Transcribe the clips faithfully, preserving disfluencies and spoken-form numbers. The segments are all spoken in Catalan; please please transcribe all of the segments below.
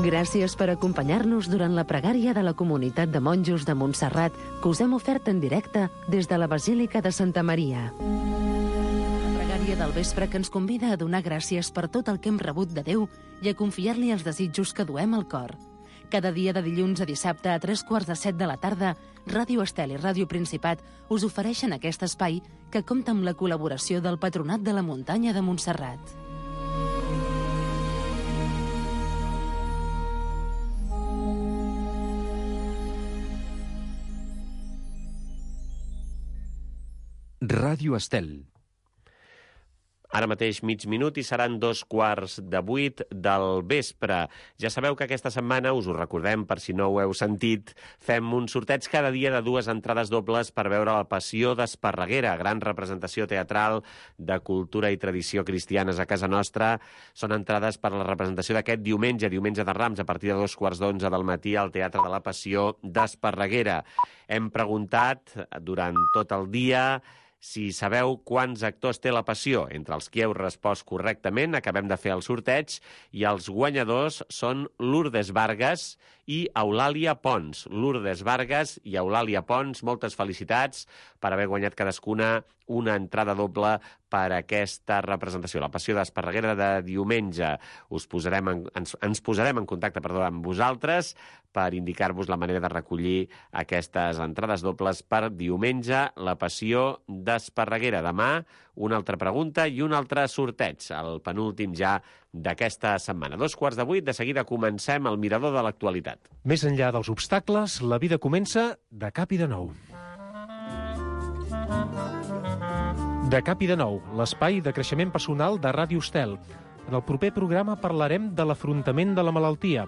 Gràcies per acompanyar-nos durant la pregària de la comunitat de monjos de Montserrat que us hem ofert en directe des de la Basílica de Santa Maria. La pregària del vespre que ens convida a donar gràcies per tot el que hem rebut de Déu i a confiar-li els desitjos que duem al cor. Cada dia de dilluns a dissabte a tres quarts de set de la tarda, Ràdio Estel i Ràdio Principat us ofereixen aquest espai que compta amb la col·laboració del Patronat de la Muntanya de Montserrat. Ràdio Estel. Ara mateix mig minut i seran dos quarts de vuit del vespre. Ja sabeu que aquesta setmana, us ho recordem per si no ho heu sentit, fem un sorteig cada dia de dues entrades dobles per veure la Passió d'Esparreguera, gran representació teatral de cultura i tradició cristianes a casa nostra. Són entrades per a la representació d'aquest diumenge, diumenge de Rams, a partir de dos quarts d'onze del matí al Teatre de la Passió d'Esparreguera. Hem preguntat durant tot el dia si sabeu quants actors té la Passió. Entre els qui heu respost correctament, acabem de fer el sorteig i els guanyadors són Lourdes Vargas i Eulàlia Pons. Lourdes Vargas i Eulàlia Pons, moltes felicitats per haver guanyat cadascuna una entrada doble per a aquesta representació, la Passió d'Esparreguera de diumenge. Us posarem en, ens, ens posarem en contacte perdó, amb vosaltres per indicar-vos la manera de recollir aquestes entrades dobles per diumenge, la Passió d'Esparreguera. Demà, una altra pregunta i un altre sorteig, el penúltim ja d'aquesta setmana. Dos quarts de vuit, de seguida comencem el Mirador de l'Actualitat. Més enllà dels obstacles, la vida comença de cap i de nou. De cap i de nou, l'espai de creixement personal de Ràdio Estel. En el proper programa parlarem de l'afrontament de la malaltia.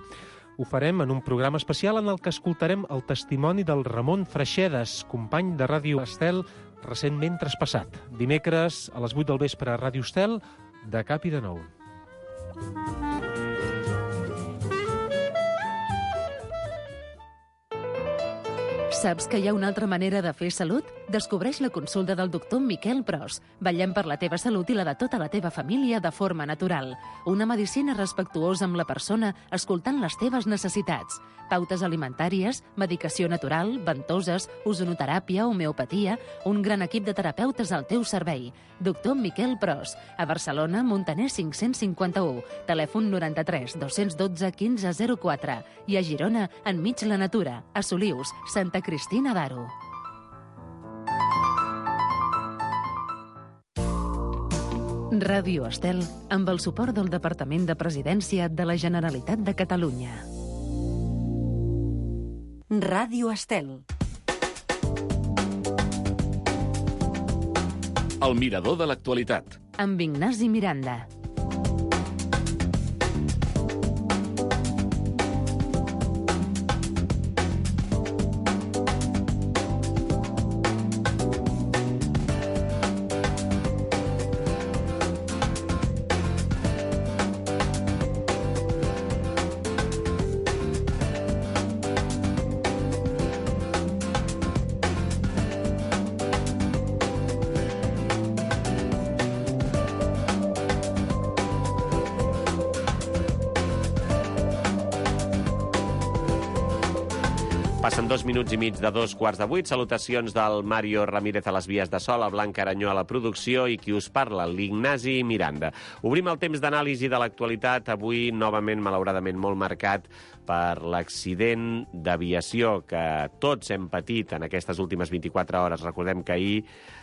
Ho farem en un programa especial en el que escoltarem el testimoni del Ramon Freixedes, company de Ràdio Estel, recentment traspassat. Dimecres a les vuit del vespre a Ràdio Estel, de cap i de nou. Saps que hi ha una altra manera de fer salut? Descobreix la consulta del doctor Miquel Pros. Vetllem per la teva salut i la de tota la teva família de forma natural. Una medicina respectuosa amb la persona, escoltant les teves necessitats. Pautes alimentàries, medicació natural, ventoses, ozonoteràpia, homeopatia, un gran equip de terapeutes al teu servei. Doctor Miquel Pros, a Barcelona, Montaner cinc-cents cinquanta-u, telèfon noranta-tres dos-cents dotze quinze zero quatre i a Girona, enmig la natura, a Solius, Santa Cristina d'Aro. Ràdio Estel, amb el suport del Departament de Presidència de la Generalitat de Catalunya. Ràdio Estel. El Mirador de l'Actualitat. Amb Ignasi Miranda. Passen dos minuts i mig de dos quarts de vuit. Salutacions del Mario Ramírez a les vies de so, la Blanca Aranyó a la producció i qui us parla, l'Ignasi Miranda. Obrim el temps d'anàlisi de l'actualitat, avui novament, malauradament, molt marcat per l'accident d'aviació que tots hem patit en aquestes últimes vint-i-quatre hores. Recordem que ahir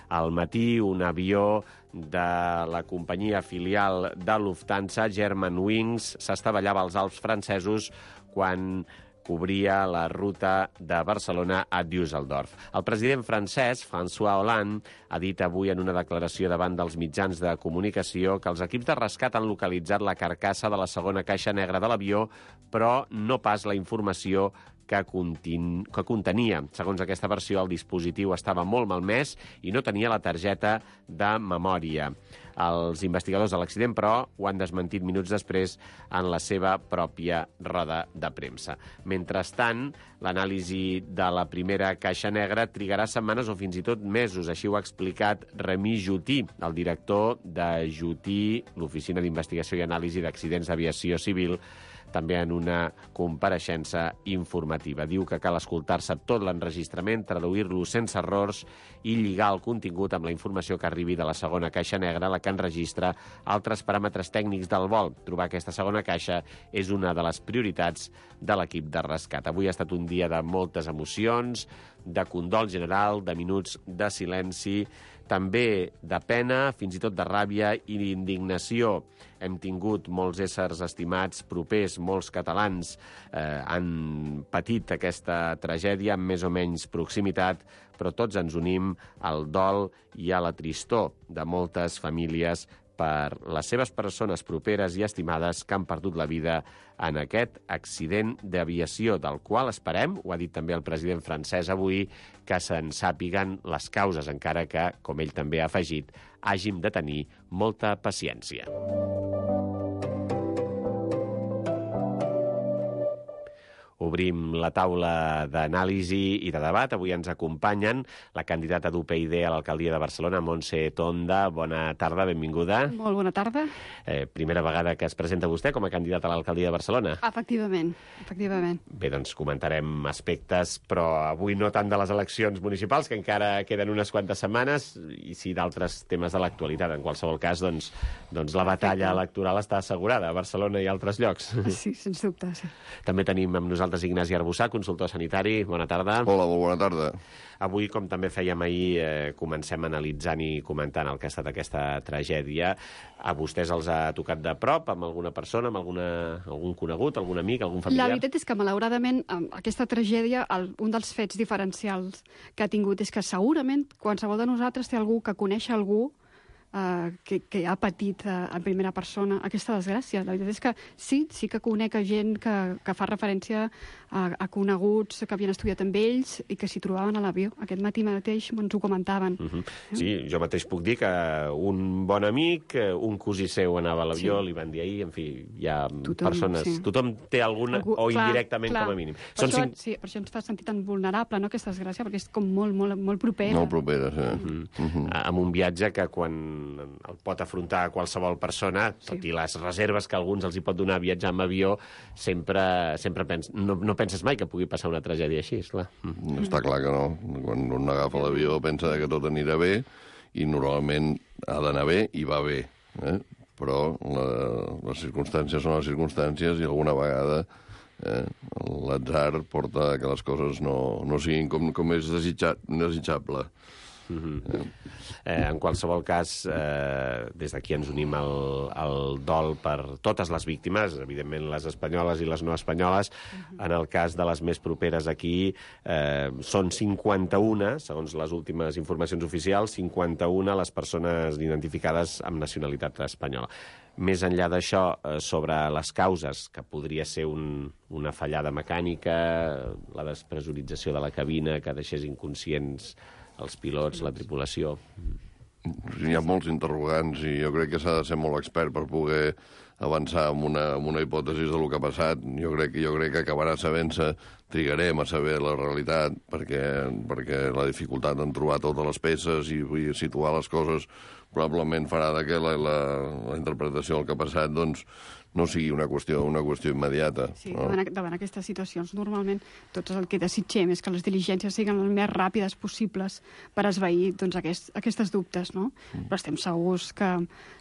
al matí un avió de la companyia filial de Lufthansa, Germanwings, s'estavellava als Alps francesos quan cobria la ruta de Barcelona a Düsseldorf. El president francès, François Hollande, ha dit avui en una declaració davant dels mitjans de comunicació que els equips de rescat han localitzat la carcassa de la segona caixa negra de l'avió, però no pas la informació que, contin... que contenia. Segons aquesta versió, el dispositiu estava molt malmès i no tenia la targeta de memòria. Els investigadors de l'accident, però, ho han desmentit minuts després en la seva pròpia roda de premsa. Mentrestant, l'anàlisi de la primera caixa negra trigarà setmanes o fins i tot mesos. Així ho ha explicat Remy Jutí, el director de Jutí, l'Oficina d'Investigació i Anàlisi d'Accidents d'Aviació Civil, també en una compareixença informativa. Diu que cal escoltar-se tot l'enregistrament, traduir-lo sense errors i lligar el contingut amb la informació que arribi de la segona caixa negra, la que enregistra altres paràmetres tècnics del vol. Trobar aquesta segona caixa és una de les prioritats de l'equip de rescat. Avui ha estat un dia de moltes emocions, de condol general, de minuts de silenci, també de pena, fins i tot de ràbia i d'indignació. Hem tingut molts éssers estimats, propers, molts catalans eh, han patit aquesta tragèdia amb més o menys proximitat, però tots ens unim al dol i a la tristor de moltes famílies per les seves persones properes i estimades que han perdut la vida en aquest accident d'aviació, del qual esperem, ho ha dit també el president francès avui, que se'n sàpiguen les causes, encara que, com ell també ha afegit, hàgim de tenir molta paciència. Obrim la taula d'anàlisi i de debat. Avui ens acompanyen la candidata d'U P y D a l'alcaldia de Barcelona, Montse Tonda. Bona tarda, benvinguda. Molt bona tarda. Eh, primera vegada que es presenta vostè com a candidata a l'alcaldia de Barcelona. Efectivament, efectivament. Bé, doncs comentarem aspectes, però avui no tant de les eleccions municipals, que encara queden unes quantes setmanes, i sí d'altres temes de l'actualitat. En qualsevol cas, doncs, doncs la batalla electoral està assegurada a Barcelona i altres llocs. Sí, sens dubte, sí. També tenim amb nosaltres Ignasi Arbussà, consultor sanitari. Bona tarda. Hola, molt bona tarda. Avui, com també fèiem ahir, eh, comencem analitzant i comentant el que ha estat aquesta tragèdia. A vostès els ha tocat de prop, amb alguna persona, amb alguna, algun conegut, algun amic, algun familiar? La veritat és que, malauradament, aquesta tragèdia, el, un dels fets diferencials que ha tingut és que segurament qualsevol de nosaltres té algú que coneix algú Uh, que, que ha patit uh, en primera persona aquesta desgràcia. La veritat és que sí, sí que conec gent que, que fa referència a, a coneguts que havien estudiat amb ells i que s'hi trobaven a l'avió. Aquest matí mateix ens ho comentaven. Uh -huh. Sí, jo mateix puc dir que un bon amic, un cosí seu anava a l'avió, sí. Li van dir ahir, en fi, hi ha tothom, persones... Sí. Tothom té alguna, Algú, o indirectament clar, clar. Com a mínim. Per, Són això, cinc... sí, per això ens fa sentir tan vulnerable, no?, aquesta desgràcia, perquè és com molt, molt, molt propera. Molt propera, sí. Uh -huh. Uh -huh. Amb un viatge que quan el pot afrontar qualsevol persona, sí. Tot i les reserves que alguns els hi pot donar viatjar amb avió, sempre, sempre pens... no, no penses mai que pugui passar una tragèdia així, esclar. Mm. Està clar que no. Quan un agafa l'avió pensa que tot anirà bé i normalment ha d'anar bé i va bé. Eh? Però la, les circumstàncies són les circumstàncies i alguna vegada eh, l'atzar porta que les coses no, no siguin com, com és desitjat, desitjable. Uh-huh. eh, en qualsevol cas, eh, des d'aquí ens unim al, al dol per totes les víctimes, evidentment les espanyoles i les no espanyoles. Uh-huh. En el cas de les més properes aquí, eh, són cinquanta-una, segons les últimes informacions oficials, cinquanta-una les persones identificades amb nacionalitat espanyola. Més enllà d'això, eh, sobre les causes, que podria ser un, una fallada mecànica, la despressurització de la cabina que deixés inconscients els pilots, la tripulació. Hi ha molts interrogants i jo crec que s'ha de ser molt expert per poder avançar amb una, amb una hipòtesi del que ha passat. Jo crec, jo crec que acabarà sabent-se, trigarem a saber la realitat, perquè, perquè la dificultat en trobar totes les peces i, i situar les coses probablement farà que la, la, la interpretació del que ha passat doncs, no sigui una qüestió, una qüestió immediata. Sí, no? davant, davant aquestes situacions, normalment tot el que desitgem és que les diligències siguin les més ràpides possibles per esvair doncs, aquest, aquestes dubtes, no? Mm. Però estem segurs que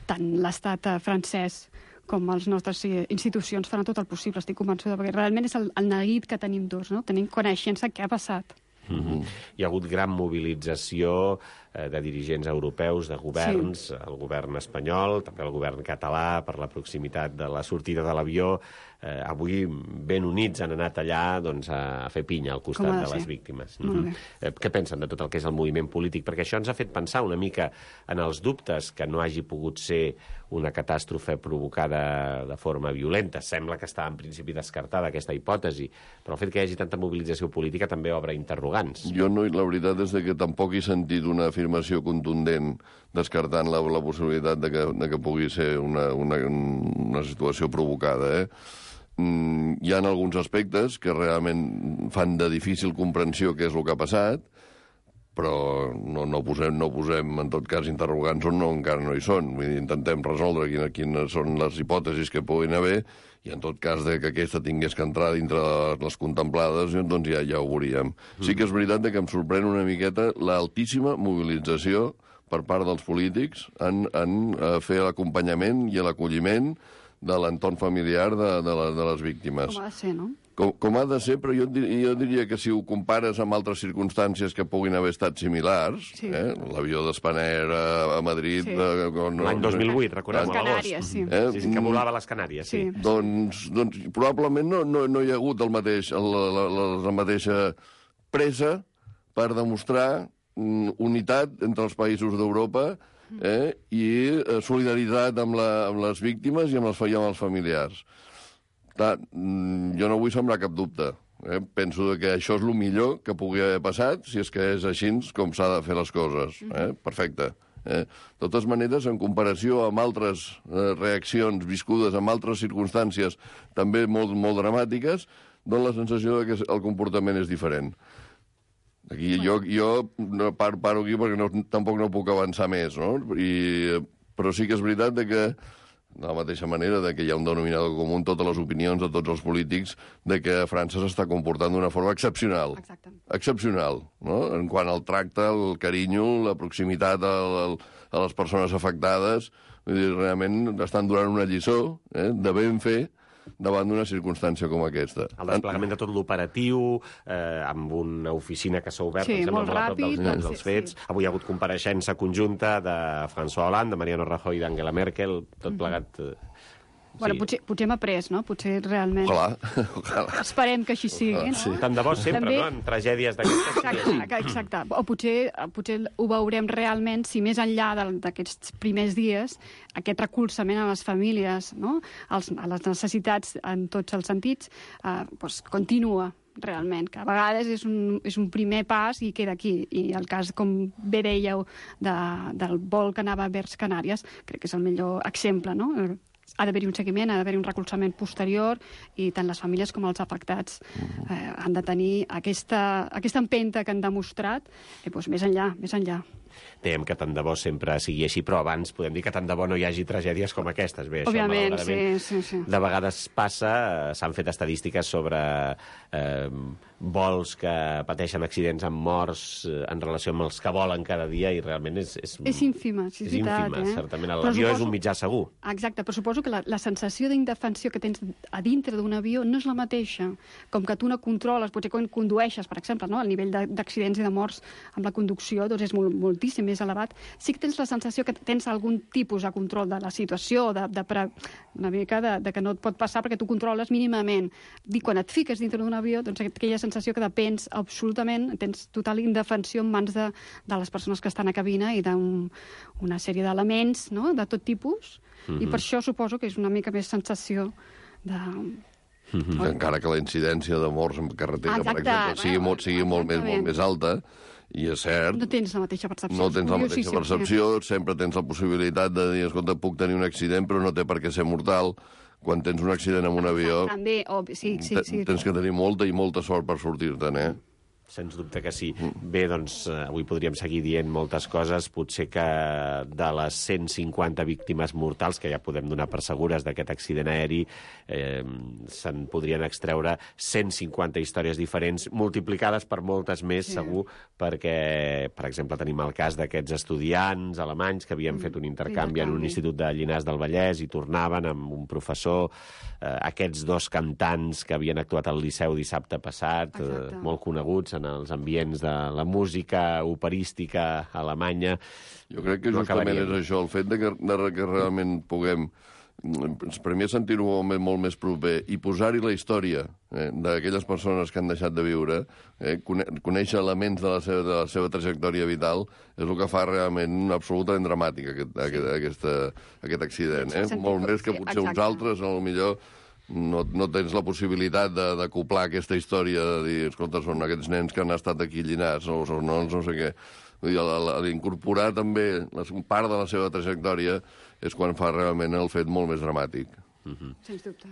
tant l'estat francès com les nostres institucions faran tot el possible, estic convençuda, perquè realment és el, el neguit que tenim tots, no? Tenim coneixença què ha passat. Mm-hmm. Hi ha hagut gran mobilització eh, de dirigents europeus, de governs, sí. El govern espanyol, també el govern català, per la proximitat de la sortida de l'avió. Eh, avui, ben units, han anat allà doncs, a fer pinya al costat de, de les víctimes. Mm-hmm. eh, què pensen de tot el que és el moviment polític? Perquè això ens ha fet pensar una mica en els dubtes que no hagi pogut ser una catàstrofe provocada de forma violenta. Sembla que està en principi descartada aquesta hipòtesi, però el fet que hi hagi tanta mobilització política també obre interrogants. Jo no, la veritat és que tampoc he sentit una afirmació contundent descartant la, la possibilitat de que, de que pugui ser una, una, una situació provocada, eh? Mm, hi ha alguns aspectes que realment fan de difícil comprensió què és el que ha passat, però no, no, posem, no posem, en tot cas, interrogants on no, encara no hi són. Vull dir, intentem resoldre quines, quines són les hipòtesis que puguin haver, i en tot cas de que aquesta tingués que entrar dintre de les contemplades, doncs ja, ja ho veuríem. Mm. Sí que és veritat que em sorprèn una miqueta l'altíssima mobilització per part dels polítics en, en fer l'acompanyament i l'acolliment de l'entorn familiar de, de, la, de les víctimes. Com ha de ser, no? Com, com ha de ser, però jo, jo diria que si ho compares amb altres circumstàncies que puguin haver estat similars, sí. eh? L'avió d'Spanair a, a Madrid... Sí. Eh, no, l'any dos mil vuit, recordem, les Canàries, sí. Eh? Sí, sí, que volava a les Canàries, sí. sí. Doncs, doncs probablement no, no, no hi ha hagut el mateix, la, la, la, la mateixa pressa per demostrar mm, unitat entre els països d'Europa eh? i eh, solidaritat amb, la, amb les víctimes i amb els, i amb els familiars. Clar, jo no vull sembrar cap dubte. Eh? Penso que això és el millor que pugui haver passat, si és que és així com s'ha de fer les coses. Eh? Perfecte. Eh? De totes maneres, en comparació amb altres eh, reaccions viscudes en altres circumstàncies també molt, molt dramàtiques, dona la sensació de que el comportament és diferent. Aquí jo, jo no paro, paro aquí perquè no, tampoc no puc avançar més, no? I, però sí que és veritat de que de la mateixa manera de que hi ha un denominador comú en totes les opinions de tots els polítics de que França s'està comportant d'una forma excepcional. Exacte. Excepcional, no? En quant al tracte, el carinyo, la proximitat a, a, a les persones afectades, vull dir, realment estan donant una lliçó eh, de ben fer davant d'una circumstància com aquesta. El desplegament de tot l'operatiu, eh, amb una oficina que s'ha obert, sí, em sembla, molt molt a prop dels, ràpid, dels sí, fets. sí. Avui ha hagut compareixença conjunta de François Hollande, de Mariano Rajoy i d'Angela Merkel, tot plegat... Eh, Bueno, sí. potser, potser hem après, no? Potser realment... Ojalà, ojalà. Esperem que així sigui, no? Sí. Tant de bo sempre, També... no?, en tragèdies d'aquestes. Exacte, exacte. O potser, potser ho veurem realment si més enllà d'aquests primers dies aquest recolzament a les famílies, no? Els, a les necessitats en tots els sentits, eh, doncs continua realment, que a vegades és un, és un primer pas i queda aquí. I el cas, com bé dèieu, de, del vol que anava vers Canàries, crec que és el millor exemple, no? Ha d'haver-hi un seguiment, ha d'haver-hi un recolzament posterior i tant les famílies com els afectats eh, han de tenir aquesta, aquesta empenta que han demostrat i doncs, més enllà, més enllà. Dèiem que tant de bo sempre sigui així, però abans podem dir que tant de bo no hi hagi tragèdies com aquestes. Bé, Òbviament, això, sí, sí, sí. De vegades passa, s'han fet estadístiques sobre eh, vols que pateixen accidents amb morts eh, en relació amb els que volen cada dia i realment és... És, és ínfima, sí, és veritat. ínfima, eh? certament. L'avió suposo... és un mitjà segur. Exacte, però suposo que la, la sensació d'indefensió que tens a dintre d'un avió no és la mateixa. Com que tu no controles, potser quan condueixes, per exemple, no? El nivell d'accidents i de morts amb la conducció doncs és molt, moltíssim més elevat. Sí que tens la sensació que tens algun tipus de control de la situació, de, de pre... una mica de, de que no et pot passar perquè tu controles mínimament. I quan et fiques dintre d'un avió, doncs aquella sensació que depens absolutament, tens total indefensió en mans de, de les persones que estan a cabina i d'una un, sèrie d'elements, no?, de tot tipus. Mm-hmm. I per això suposo que és una mica més sensació de... Mm-hmm. Encara que la incidència de morts en carretera, exacte, per exemple, sigui, bueno, molt, sigui molt, més, molt més alta, i és cert... No tens la mateixa percepció. No tens la mateixa percepció, sí. Sempre tens la possibilitat de dir, escolta, puc tenir un accident, però no té per què ser mortal. Quan tens un accident amb un avió, també, oh, sí, sí, sí. tens que tenir molta i molta sort per sortir-te'n, eh? Sens dubte que sí. Bé, doncs, avui podríem seguir dient moltes coses. Potser que de les cent cinquanta víctimes mortals, que ja podem donar per segures d'aquest accident aeri, eh, se'n podrien extreure cent cinquanta històries diferents, multiplicades per moltes més, sí. Segur, perquè, per exemple, tenim el cas d'aquests estudiants alemanys que havien mm, fet un intercanvi, intercanvi en un institut de Llinars del Vallès i tornaven amb un professor, eh, aquests dos cantants que havien actuat al Liceu dissabte passat, eh, molt coneguts en els ambients de la música operística alemanya. Jo crec que no justament acabaríem. És això, el fet de que, de que realment puguem, per mi, sentir-ho molt, molt més proper i posar-hi la història eh, d'aquelles persones que han deixat de viure, eh, conèixer elements de la, seva, de la seva trajectòria vital, és el que fa realment absolutament dramàtic aquest, aquest, aquesta, aquest accident. Eh? Molt més que potser uns altres, a lo millor no, no tens la possibilitat d'acoplar aquesta història, de dir, escolta, són aquests nens que han estat aquí llinats, o són nons, no sé què. L'incorporar també part de la seva trajectòria és quan fa realment el fet molt més dramàtic. Mm-hmm. Sens dubte.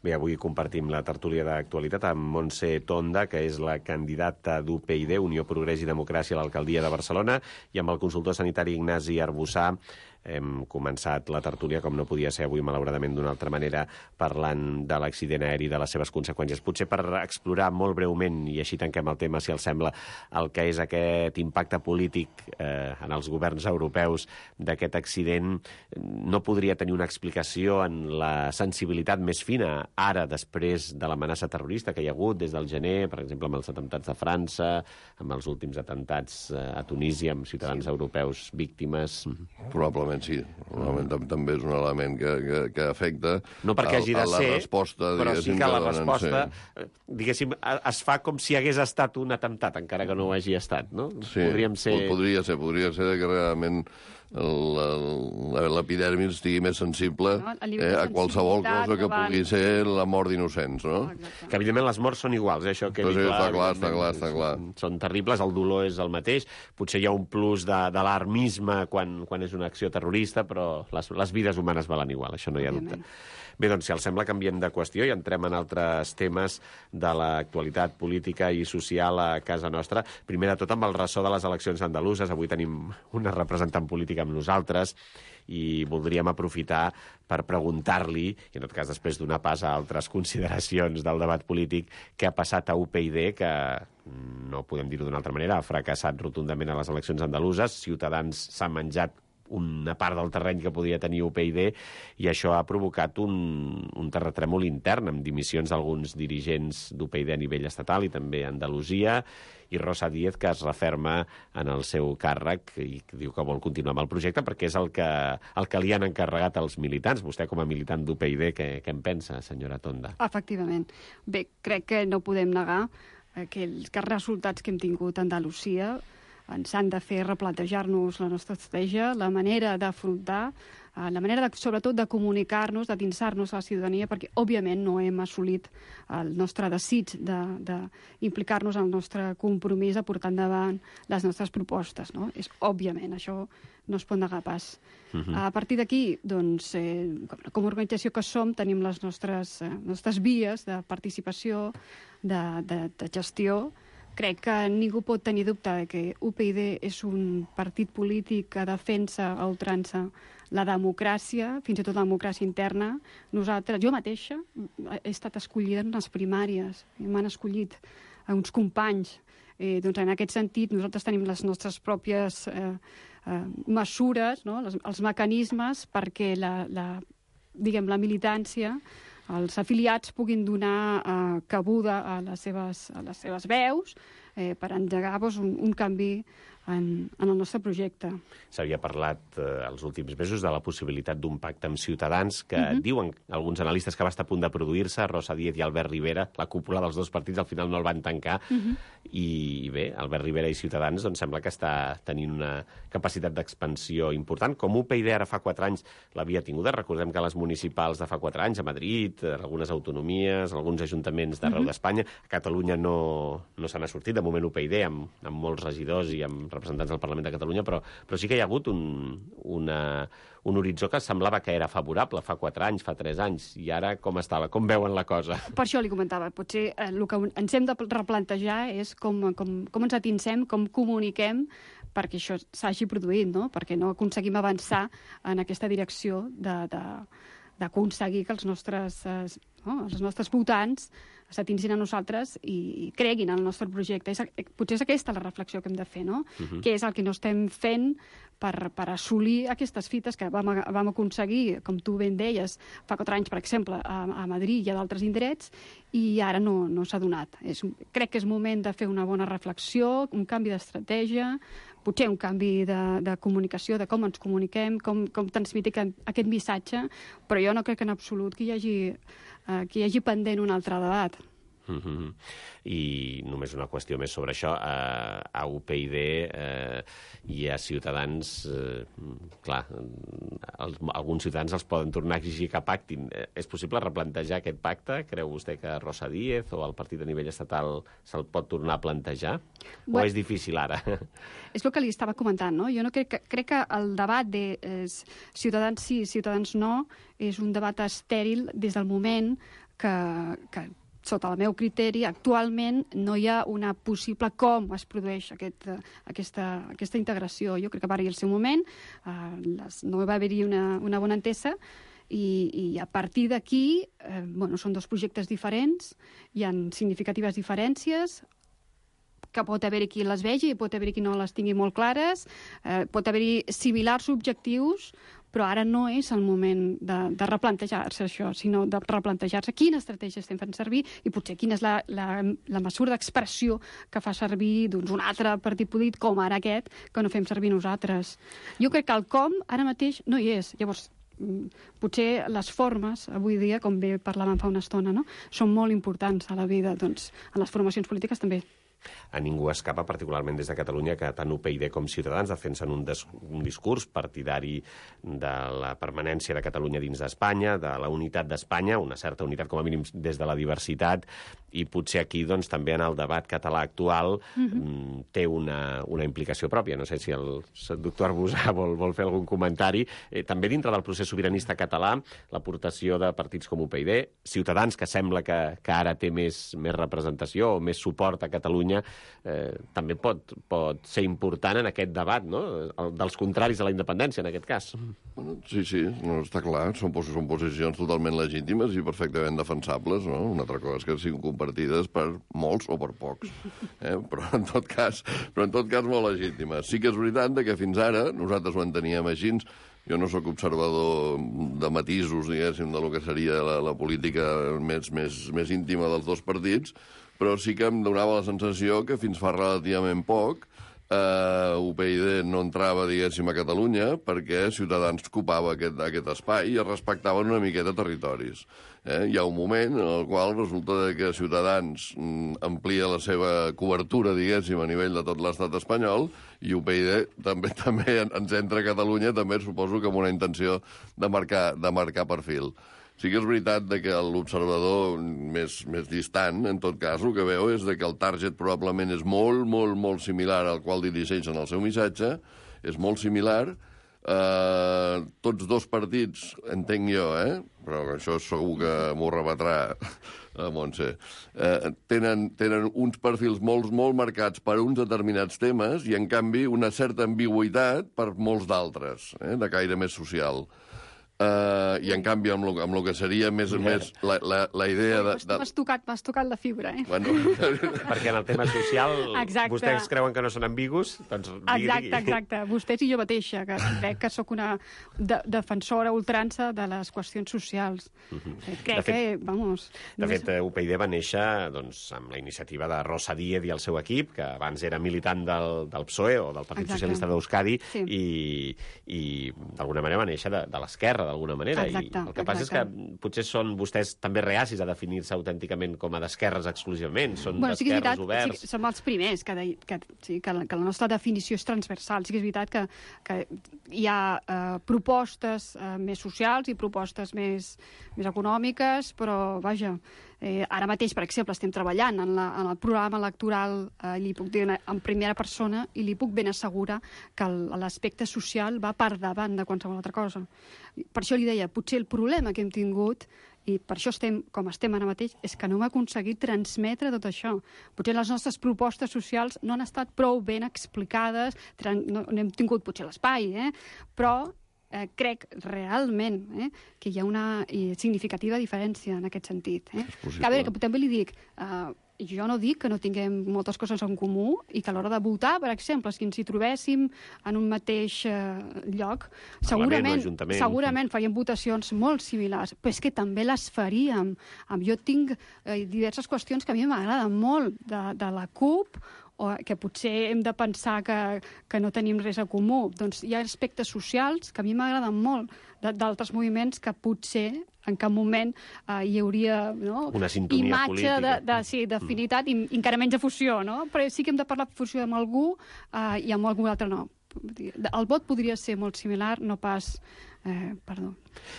Bé, avui compartim la tertúlia d'actualitat amb Montse Tonda, que és la candidata d'U P I D, Unió Progrés i Democràcia, a l'alcaldia de Barcelona, i amb el consultor sanitari Ignasi Arbussà. Hem començat la tertúlia, com no podia ser avui, malauradament, d'una altra manera, parlant de l'accident aeri i de les seves conseqüències. Potser per explorar molt breument, i així tanquem el tema, si els sembla, el que és aquest impacte polític eh, en els governs europeus d'aquest accident, no podria tenir una explicació en la sensibilitat més fina ara, després de l'amenaça terrorista que hi ha hagut des del gener, per exemple, amb els atemptats de França, amb els últims atemptats eh, a Tunísia, amb ciutadans sí. europeus víctimes. Probablement sí. Probablement també és un element que, que, que afecta no perquè hagi de a la ser, resposta, però sí que la resposta, sí. diguéssim, es fa com si hagués estat un atemptat, encara que no ho hagi estat, no? Sí, Podríem ser... podria ser, podria ser que realment l'epidermis estigui més sensible no, a, eh, a qualsevol cosa que davant... pugui ser la mort d'innocents, no? Oh, que, evidentment, les morts són iguals, eh? Això que sí, clar, està clar, està clar, està clar. Són terribles, el dolor és el mateix, potser hi ha un plus d'alarmisme quan, quan és una acció terrorista, però les, les vides humanes valen igual, això no hi ha dubte. Bé, doncs, si els sembla, canviem de qüestió i entrem en altres temes de l'actualitat política i social a casa nostra. Primer de tot, amb el ressò de les eleccions andaluses. Avui tenim una representant política amb nosaltres i voldríem aprofitar per preguntar-li, i en tot cas després donar pas a altres consideracions del debat polític, què ha passat a U P I D, que no podem dir-ho d'una altra manera, ha fracassat rotundament a les eleccions andaluses. Ciutadans s'ha menjat una part del terreny que podia tenir U P I D i això ha provocat un, un terratrèmol intern amb dimissions d'alguns dirigents d'U P I D a nivell estatal i també a Andalusia, i Rosa Díez, que es referma en el seu càrrec i diu que vol continuar amb el projecte perquè és el que, el que li han encarregat els militants. Vostè, com a militant d'U P I D, què, què en pensa, senyora Tonda? Efectivament. Bé, crec que no podem negar que els, que els resultats que hem tingut a Andalusia ens han de fer replantejar-nos la nostra estratègia, la manera d'afrontar, la manera, de, sobretot, de comunicar-nos, de dinsar-nos a la ciutadania, perquè, òbviament, no hem assolit el nostre desig d'implicar-nos en el nostre compromís a portar endavant les nostres propostes, no? És, òbviament, això no es pot negar pas. Uh-huh. A partir d'aquí, doncs, eh, com a organització que som, tenim les nostres, eh, nostres vies de participació, de, de, de gestió. Crec que ningú pot tenir dubte que U P I D és un partit polític que defensa a ultrança la democràcia, fins i tot la democràcia interna. Nosaltres, jo mateixa, he estat escollida en les primàries, m'han escollit uns companys. Eh, doncs en aquest sentit, nosaltres tenim les nostres pròpies eh, eh, mesures, no? les, els mecanismes perquè la, la, diguem, la militància, els afiliats puguin donar eh, cabuda a les seves, a les seves veus eh, per engegar doncs, un, un canvi en, en el nostre projecte. S'havia parlat eh, els últims mesos de la possibilitat d'un pacte amb Ciutadans que uh-huh. diuen alguns analistes que va estar a punt de produir-se, Rosa Díez i Albert Rivera, la cúpula dels dos partits, al final no el van tancar, uh-huh. i, i bé, Albert Rivera i Ciutadans doncs, sembla que està tenint una capacitat d'expansió important. Com U P I D ara fa quatre anys l'havia tinguda, recordem que les municipals de fa quatre anys, a Madrid, algunes autonomies, alguns ajuntaments d'arreu uh-huh. d'Espanya, a Catalunya no, no se n'ha sortit, de moment U P I D, amb, amb molts regidors i amb representants del Parlament de Catalunya, però, però sí que hi ha hagut un, una, un horitzó que semblava que era favorable fa quatre anys, fa tres anys, i ara com estava? Com veuen la cosa? Per això li comentava, potser eh, el que ens hem de replantejar és com, com, com ens atinsem, com comuniquem perquè això s'hagi produït, no? Perquè no aconseguim avançar en aquesta direcció de, de, d'aconseguir que els nostres, eh, no, els nostres votants s'atinsin a nosaltres i creguin en el nostre projecte. És, potser és aquesta la reflexió que hem de fer, no? Uh-huh. Què és el que no estem fent per, per assolir aquestes fites que vam, vam aconseguir, com tu ben deies, fa quatre anys, per exemple, a, a Madrid i a d'altres indrets, i ara no, no s'ha donat. És, crec que és moment de fer una bona reflexió, un canvi d'estratègia, potser un canvi de, de comunicació, de com ens comuniquem, com, com transmetem aquest missatge, però jo no crec en absolut que hi hagi, eh, que hi hagi pendent un altre debat. Mm-hmm. I només una qüestió més sobre això. A, a U P y D eh, i a Ciutadans, eh, clar, els, alguns ciutadans els poden tornar a exigir que pactin. Eh, és possible replantejar aquest pacte? Creu vostè que Rosa Díez o el partit a nivell estatal se'l pot tornar a plantejar? Bueno, o és difícil ara? És el que li estava comentant, no? Jo no crec que, crec que el debat de eh, Ciutadans sí, Ciutadans no, és un debat estèril des del moment que, que sota el meu criteri, actualment no hi ha una possible com es produeix aquest, aquesta, aquesta integració. Jo crec que va haver-hi el seu moment, eh, les, no va haver-hi una, una bona entesa, i, i a partir d'aquí, eh, bueno, són dos projectes diferents, hi ha significatives diferències, que pot haver-hi qui les vegi, pot haver-hi qui no les tingui molt clares, eh, pot haver-hi similars objectius, però ara no és el moment de, de replantejar-se això, sinó de replantejar-se quina estratègia estem fent servir i potser quina és la, la, la mesura d'expressió que fa servir doncs, un altre partit polític, com ara aquest, que no fem servir nosaltres. Jo crec que el com ara mateix no hi és. Llavors, potser les formes, avui dia, com bé parlàvem fa una estona, no? Són molt importants a la vida, doncs, en les formacions polítiques també. A ningú escapa, particularment des de Catalunya, que tant U P y D com Ciutadans defensen un, des, un discurs partidari de la permanència de Catalunya dins d'Espanya, de la unitat d'Espanya, una certa unitat com a mínim des de la diversitat, i potser aquí doncs, també en el debat català actual mm-hmm. té una, una implicació pròpia. No sé si el, el doctor Arbusà vol, vol fer algun comentari. Eh, també dintre del procés sobiranista català, l'aportació de partits com U P y D, Ciutadans, que sembla que, que ara té més, més representació o més suport a Catalunya, Eh, també pot, pot ser important en aquest debat, no? El, dels contraris a la independència, en aquest cas. Bueno, sí, sí, no, està clar. Són, són posicions totalment legítimes i perfectament defensables, no? Una altra cosa és que siguin compartides per molts o per pocs. Eh? Però, en tot cas, però en tot cas molt legítimes. Sí que és veritat que fins ara nosaltres ho enteníem així. Jo no sóc observador de matisos, diguéssim, de lo que seria la, la política més, més, més íntima dels dos partits, però sí que em donava la sensació que fins fa relativament poc eh, U P y D no entrava, diguéssim, a Catalunya perquè Ciutadans ocupava aquest, aquest espai i es respectaven una miqueta territoris. Eh? Hi ha un moment en el qual resulta que Ciutadans mm, amplia la seva cobertura, diguéssim, a nivell de tot l'estat espanyol, i U P y D també també ens entra a Catalunya, també suposo que amb una intenció de marcar, de marcar perfil. Sí que és veritat que l'observador més, més distant, en tot cas, el que veu és que el target probablement és molt, molt, molt similar al qual dirigeixen el seu missatge, és molt similar. Eh, tots dos partits, entenc jo, eh? Però això segur que m'ho rebatrà a Montse, eh, tenen, tenen uns perfils molt, molt marcats per uns determinats temes i, en canvi, una certa ambigüitat per molts d'altres, eh? De caire més social. Uh, I, en canvi, amb el, amb el que seria més, més la, la, la idea de... de... M'has tocat, m'has tocat la fibra, eh? Bueno, perquè en el tema social exacte. Vostès creuen que no són ambigus, doncs digui, exacte, digui. Exacte, vostès i jo mateixa, que crec que sóc una de, defensora ultrança de les qüestions socials. Uh-huh. Crec fet, que, vamos... De només... fet, U P y D va néixer doncs, amb la iniciativa de Rosa Díez i el seu equip, que abans era militant del, del P S O E o del Partit exacte. Socialista d'Euskadi, sí. i, i d'alguna manera va néixer de, de l'esquerra, d'alguna manera. Exacte, I el que passa exacte. és que potser són vostès també reacis a definir-se autènticament com a d'esquerres exclusivament, són bueno, sí d'esquerres sí oberts. Sí, som els primers que, de, que, sí, que, la, que la nostra definició és transversal. Sí que és veritat que, que hi ha eh, propostes eh, més socials i propostes més, més econòmiques, però, vaja, eh, ara mateix, per exemple, estem treballant en, la, en el programa electoral, eh, li puc dir en primera persona, i li puc ben assegurar que l'aspecte social va per davant de qualsevol altra cosa. Per això li deia, potser el problema que hem tingut, i per això estem com estem ara mateix, és que no hem aconseguit transmetre tot això. Potser les nostres propostes socials no han estat prou ben explicades, no, no hem tingut potser l'espai, eh? Però eh, crec realment eh, que hi ha una eh, significativa diferència en aquest sentit. Eh? Que, a veure, que també li dic... Eh, jo no dic que no tinguem moltes coses en comú i que a l'hora de votar, per exemple, si ens hi trobéssim en un mateix eh, lloc, segurament, segurament faríem votacions molt similars, però és que també les faríem. Jo tinc eh, diverses qüestions que a mi m'agraden molt de, de la CUP, o que potser hem de pensar que, que no tenim res a comú. Doncs hi ha aspectes socials que a mi m'agraden molt d'altres moviments que potser en cap moment eh, hi hauria no, una sintonia imatge política. de, de, sí, d'afinitat mm. i encara menys de fusió, no? Però sí que hem de parlar de fusió amb algú eh, i amb algú altre no. El vot podria ser molt similar, no pas... Eh, perdó.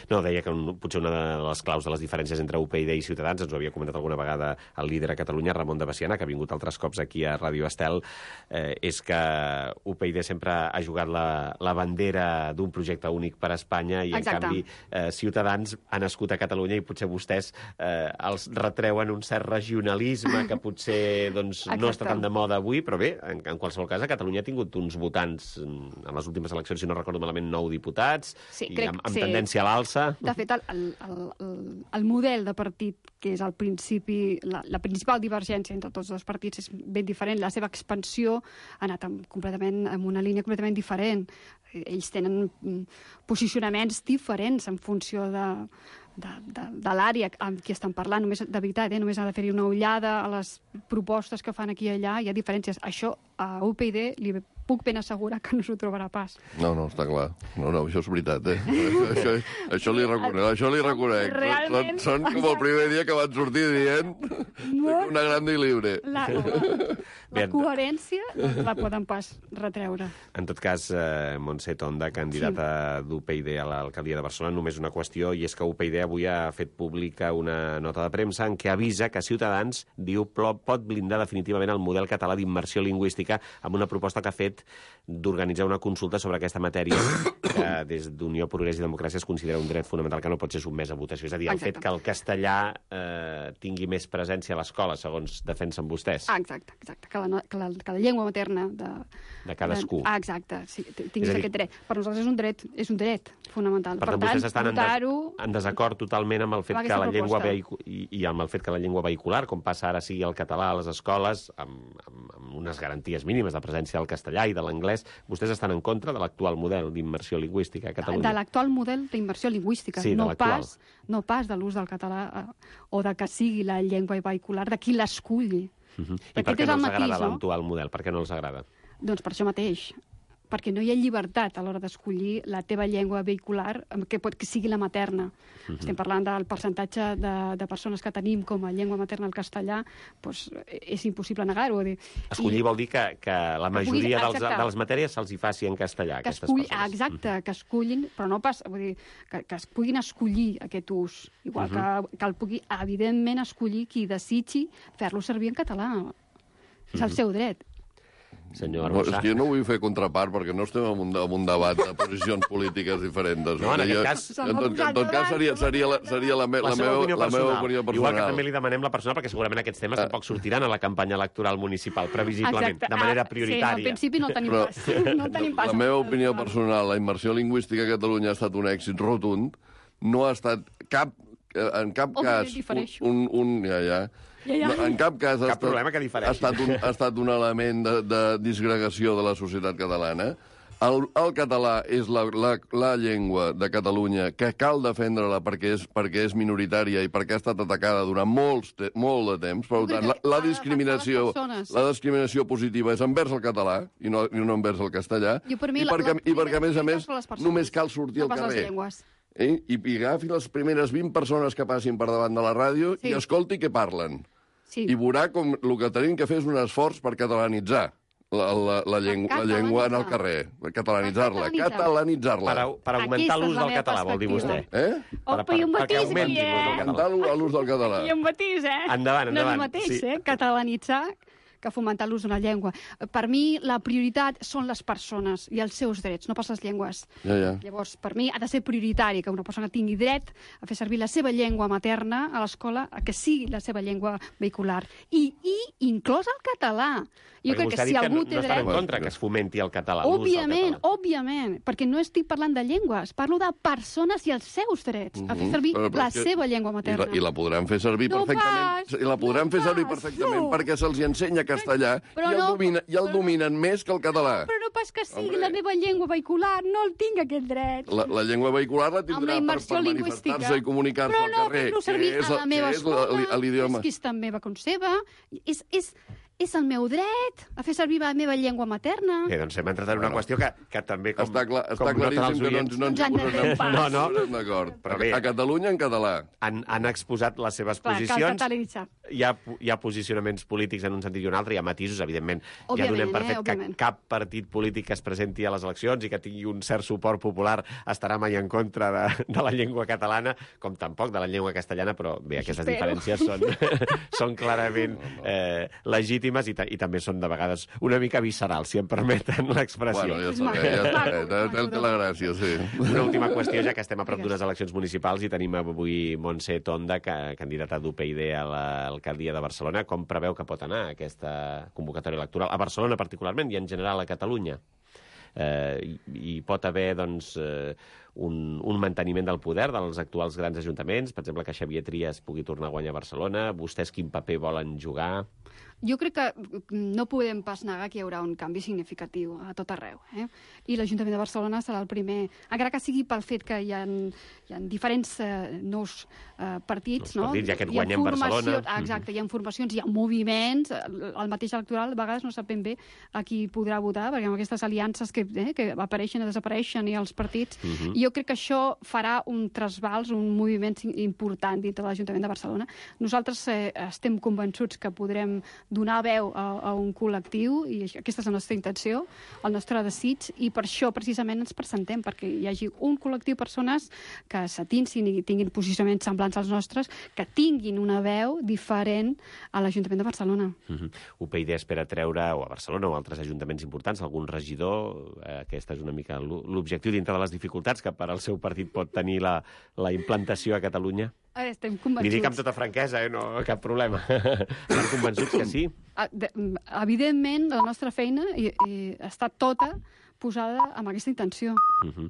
No, deia que un, potser una de les claus de les diferències entre U P y D i Ciutadans, ens ho havia comentat alguna vegada el líder a Catalunya, Ramon de Besiana, que ha vingut altres cops aquí a Ràdio Estel, eh, és que U P y D sempre ha jugat la, la bandera d'un projecte únic per a Espanya i, Exacte. en canvi, eh, Ciutadans ha nascut a Catalunya i potser vostès eh, els retreuen un cert regionalisme que potser doncs, no està tan de moda avui, però bé, en, en qualsevol cas, a Catalunya ha tingut uns votants en les últimes eleccions, si no recordo malament, nou diputats, sí, i crec, amb, amb sí. tendència a l'alça. De fet, el, el, el, el model de partit, que és el principi, la, la principal divergència entre tots els partits és ben diferent. La seva expansió ha anat amb, completament en una línia completament diferent. Ells tenen posicionaments diferents en funció de, de, de, de l'àrea amb qui estan parlant. Només, de veritat, eh? Només ha de fer-hi una ullada a les propostes que fan aquí i allà. Hi ha diferències. Això a U P y D li puc ben assegurar que no s'ho trobarà pas. No, no, està clar. No, no, això és veritat, eh? això, això li reconec, això li reconec. Realment... Són, són com el primer dia que van sortir dient no. Una grande i libre. La, la, la coherència no la poden pas retreure. En tot cas, eh, Montse Tonda, candidata sí. d'U P y D a l'alcaldia de Barcelona, només una qüestió, i és que U P y D avui ha fet pública una nota de premsa en què avisa que Ciutadans, diu, pot blindar definitivament el model català d'immersió lingüística amb una proposta que ha fet d'organitzar una consulta sobre aquesta matèria que des d'Unió, Progrés i Democràcia es considera un dret fonamental que no pot ser sotmès a votació. És a dir, el exacte. fet que el castellà eh, tingui més presència a l'escola, segons defensen vostès. Ah, exacte, exacte. Que la, que la, que la llengua materna de, de cadascú. De, ah, exacte, sí, tinguis aquest dret. Per nosaltres és un dret, és un dret fonamental. Per, per tant, vostès estan en, des, en desacord totalment amb el fet que la llengua vehicu i, i amb el fet que la llengua vehicular, com passa ara sigui el català a les escoles, amb, amb, amb unes garanties mínimes de presència del castellà i de l'anglès, vostès estan en contra de l'actual model d'immersió lingüística a Catalunya? De l'actual model d'immersió lingüística, sí, no, pas, no pas de l'ús del català eh, o de que sigui la llengua vehicular, de qui l'esculli. Uh -huh. I per què no els agrada l'actual model? Per què no els agrada? Doncs per això mateix, perquè no hi ha llibertat a l'hora d'escollir la teva llengua vehicular, que pot que sigui la materna. Uh -huh. Estem parlant del percentatge de, de persones que tenim com a llengua materna el castellà, doncs és impossible negar-ho. Escollir I, vol dir que, que la majoria que pugui, dels, de les matèries se'ls hi faci en castellà, que aquestes esculli, persones. Exacte, uh -huh. que escullin, però no pas, vull dir, que, que es puguin escollir aquest ús, igual uh -huh. que, que el pugui, evidentment, escollir qui desitgi fer-lo servir en català. És el uh -huh. seu dret. Senyor no, és que jo no vull fer contrapart perquè no estem en un, en un debat de posicions polítiques diferents. No, en aquest cas... En tot, en tot cas seria, seria, la, seria la, me, la, la, meva, opinió la meva opinió personal. Igual que també li demanem la persona, perquè segurament aquests temes uh, tampoc sortiran a la campanya electoral municipal, previsiblement, exacte. de manera prioritària. Sí, al principi no tenim Però, pas. No tenim pas. La meva opinió personal, la immersió lingüística a Catalunya ha estat un èxit rotund. No ha estat cap, en cap oh, cas... Un, un, un, ja, ja. Ja, ja. No, en cap cas cap ha, estat, que ha, estat un, ha estat un element de, de disgregació de la societat catalana. El, el català és la, la, la llengua de Catalunya que cal defendre-la perquè és, perquè és minoritària i perquè ha estat atacada durant molts te, molt de temps. Per tant, la, la, discriminació, la discriminació positiva és envers el català i no, i no envers el castellà. I, per mi, I, perquè, la, la, i perquè, a més a més, persones, només cal sortir no al carrer. Eh? I, I agafi les primeres vint persones que passin per davant de la ràdio sí. i escolti què parlen. Sí. I veurà com el que tenim que fer és un esforç per catalanitzar la, la, la, llengua, la llengua en el carrer. Catalanitzar-la. Catalanitzar-la. Per, per augmentar l'ús del català, vol dir vostè. Eh? Per, per, perquè augmenti l'ús del català. I un matís, eh? Endavant, endavant. No és el mateix, sí. eh? Catalanitzar que fomentar l'ús d'una llengua. Per mi, la prioritat són les persones i els seus drets, no pas les llengües. Ja, ja. Llavors, per mi, ha de ser prioritari que una persona tingui dret a fer servir la seva llengua materna a l'escola, a que sigui la seva llengua vehicular. I, i inclòs el català. Jo perquè crec que si algú que no, té no dret... en contra que es fomenti el català, òbviament, l'ús del català. Òbviament, perquè no estic parlant de llengües, parlo de persones i els seus drets, a fer servir però, però la que... seva llengua materna. I la, i la podran fer servir no perfectament. Pas, I la podran no fer servir pas, perfectament no. perquè se'ls ensenya castellà però i el, no, domina, i el però, dominen més que el català. Però no pas que sigui Hombre. la meva llengua vehicular, no el tinc aquest dret. La, la llengua vehicular la tindrà per, per manifestar-se i comunicar-se al no, carrer. Però no fer-lo servir a la meva escola, l'idioma. és que és tan meva com seva. És, és, és el meu dret a fer servir la meva llengua materna. Bé, doncs hem entrat en una Bueno, qüestió que, que també, com, Està, clar, com està claríssim que no ens, no ens hi Ens han de fer un posarem, pas. No, no. posarem d'acord. Però A, bé. a Catalunya, en català. han, han exposat les seves Clar, cal posicions. catalanitzar. Hi ha, hi ha posicionaments polítics en un sentit i un altre, hi ha matisos, evidentment. ja Òbviament, donem per eh, fet que òbviament. cap partit polític que es presenti a les eleccions i que tingui un cert suport popular estarà mai en contra de, de la llengua catalana, com tampoc de la llengua castellana, però bé, aquestes Espero. diferències són, són clarament eh, legítimes i, ta i també són de vegades una mica viscerals, si em permeten l'expressió. Bueno, ja És està maco, bé, ja està maco, bé. Té- Té maco, té la gràcia, sí. Una última qüestió, ja que estem a prop Digues. d'unes eleccions municipals i tenim avui Montse Tonda, que, candidata d'U P y D a l'alcaldia de Barcelona. Com preveu que pot anar aquesta convocatòria electoral? A Barcelona particularment i en general a Catalunya. Eh, hi, hi pot haver doncs, eh, un, un manteniment del poder dels actuals grans ajuntaments, per exemple, que Xavier Trias pugui tornar a guanyar a Barcelona. Vostès quin paper volen jugar? Jo crec que no podem pas negar que hi haurà un canvi significatiu a tot arreu. Eh? I l'Ajuntament de Barcelona serà el primer, encara que sigui pel fet que hi ha, hi ha diferents eh, nous eh, partits. Nous no? partits, ja que et Hi ha guanyem formació- Barcelona. Exacte, hi ha formacions, hi ha moviments, el, el mateix electoral, a vegades no sap ben bé a qui podrà votar, perquè amb aquestes aliances que, eh, que apareixen i desapareixen i els partits, Uh -huh. i jo crec que això farà un trasbals, un moviment important dintre de l'Ajuntament de Barcelona. Nosaltres eh, estem convençuts que podrem donar veu a, a un col·lectiu, i aquesta és la nostra intenció, el nostre desig, i per això precisament ens presentem, perquè hi hagi un col·lectiu de persones que s'atinsin i tinguin posicionaments semblants als nostres, que tinguin una veu diferent a l'Ajuntament de Barcelona. Uh -huh. U P y D espera treure, o a Barcelona o a altres ajuntaments importants, algun regidor. Eh, aquesta és una mica l'objectiu dintre de les dificultats que per al seu partit pot tenir la, la implantació a Catalunya. Eh, Estem Li convençuts. dic amb tota franquesa, eh? No, cap problema. Estan convençuts que sí? Ah, de- Evidentment, la nostra feina i, i està tota posada amb aquesta intenció. Uh -huh.